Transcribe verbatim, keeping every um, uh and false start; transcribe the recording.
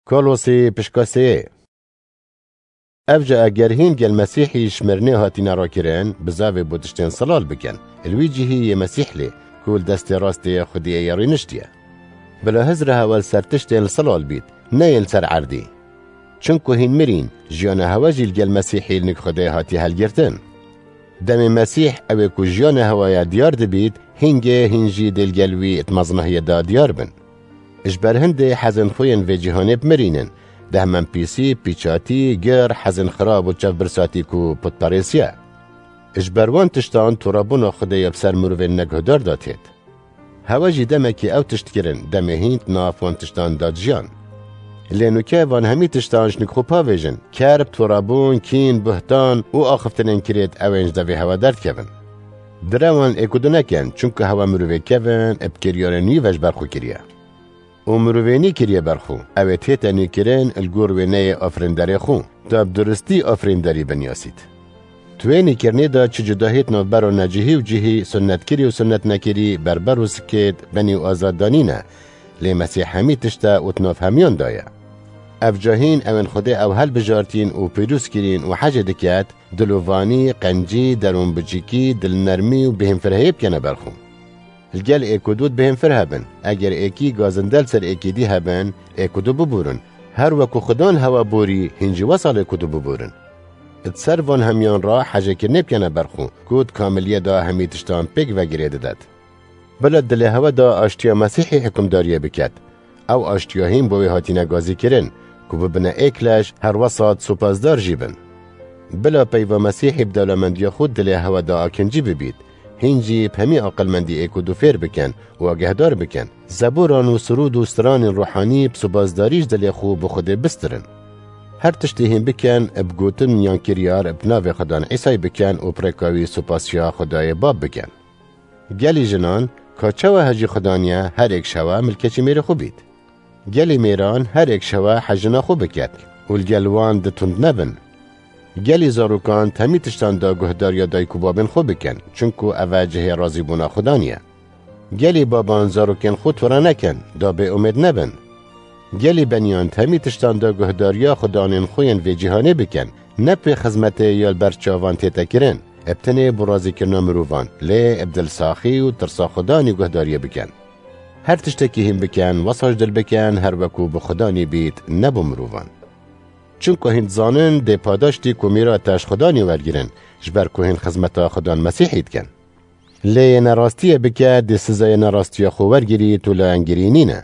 Kolosî pişka sê. Ev ji eger hîn gel Mesîhî ji mirinê hatine rakirin, bizavê bo tiştên silal bikin. Li wî cihî yê Mesîh lê, ku li destê rastê yê Xwediyê ye rîniştiye. Bila hizra hewa li ser tiştên li silal bît, ne yên li ser erdî. Çimku hîn mirîn, jiyana hewa jî li gel Mesîhî li nik Xwedê hatiye helgirtin. Demê Mesîh ew ê ku jiyana hewa ye diyar dibît, hîngê hîn jî dê li gel wî di mezinahiyê de diyar bin. Ji ber hindê hezên xwe yên vê cîhanê bimirînin, dehmenpîsî, pîçatî, gir, hezên xirab û çavbirsatî ku putperêsiye. Ji ber wan tiştan torabûna Xwedê ya bi ser mirovên neguhdar de têt. Hewe jî demekî ew tişt kirin, demê hîn di nav wan tiştan de dijiyan. Lê nûke van hemî tiştan ji nik xwe pavêjin, kerb, torabûn, kîn, buhtan û axiftinên kirêt ew ên ji devê hewe derdikevin. Dire wan êkudu nekin, çunku hewe mirovê kevin, bi kiryarên wî ve ji ber xwe kiriye. Û mirovê nî kiriye ber xwe, ew ê tête nûkirin li gor wêneyê afirînderê xwe, ta bi duristî afirînderî binyasît. Di wê nîkirinê de çi cudahî di navbera necihî û cihî, sunnetkirî û sunnetnekirî, berber û sikêt, benî û azad de nîne, lê Mesîh hemî tişt e û di nav hemiyan de ye. Ev cahîn ew ên Xwedê ew helbijartîn û pîroz kirîn û hecê diket, dilovanî, qencî, derûnbicîkî, dilnermî û bêhînfirheyê bikene ber xwe. Li gel êk û du dibêhînfir hebin. Eger êkî gazinde li ser êkî dî hebin, êk û du biborin. Her weku Xudan hewa borî, hîn jî wesal êk û du biborin. Di ser van hemiyan re hecêkirinê bikene ber xwe, ku di kamiliyê de hemî tiştan pêk ve girê didet. Bila dilê hewe de aştiya Mesîhî hikimdariyê biket. Ew aştiya hîn bo wê hatine gazîkirin, ku bibine êk leş, her wesat supasdar jî bin. Bila peyva Mesîhî bi dewlemendiya xwe dilê hewe de akincî bibît, hîn jî bi hemî aqilmendî êk û du fêr bikin û agehdar bikin. Zeboran û sirûd û stranên ruhanî bi supasdarî ji dilê xwe bi Xwedê bistirin. Her tiştê hîn bikin, bi gotin yan kiryar bi navê Xudan Îsayî bikin û bi rêka wî supasiya Xwedayê Bab bikin. Gelî jinan, ka çawa hejî Xudan ye, her êk şewa milkeçî mêrê xwe bît. Gelî mêran, her êk şewa hejina xwe biket û li gel wan di tund nebin. Gelî zarokan, di hemî tiştan de guhdariya dayik û babên xwe bikin, çunku ev e cihê razîbûna Xudan ye. Gelî baban zarokên xwe tore nekin, da bêumêd nebin. Gelî beniyan, di hemî tiştan de guhdariya xudanên xwe yên vê cîhanê bikin, ne pê xizmetê ya li ber çavan tête kirin, bi tenê bo razîkirina mirovan, lê bi dilsaxî û tirsa Xudanî guhdariyê bikin. Her tiştekî hîn bikin, wesa ji dil bikin, her weku bi Xudanî bît, ne bo mirovan. Çunku hîn dizanin dê padaştî ku mîrate ji Xudanî wergirin, ji ber ku hîn xizmeta Xudan Mesîhî dikin. Lê yê nerastiyê bike, dê sizayê nerastiya xwe wergirît û layengirî nîne.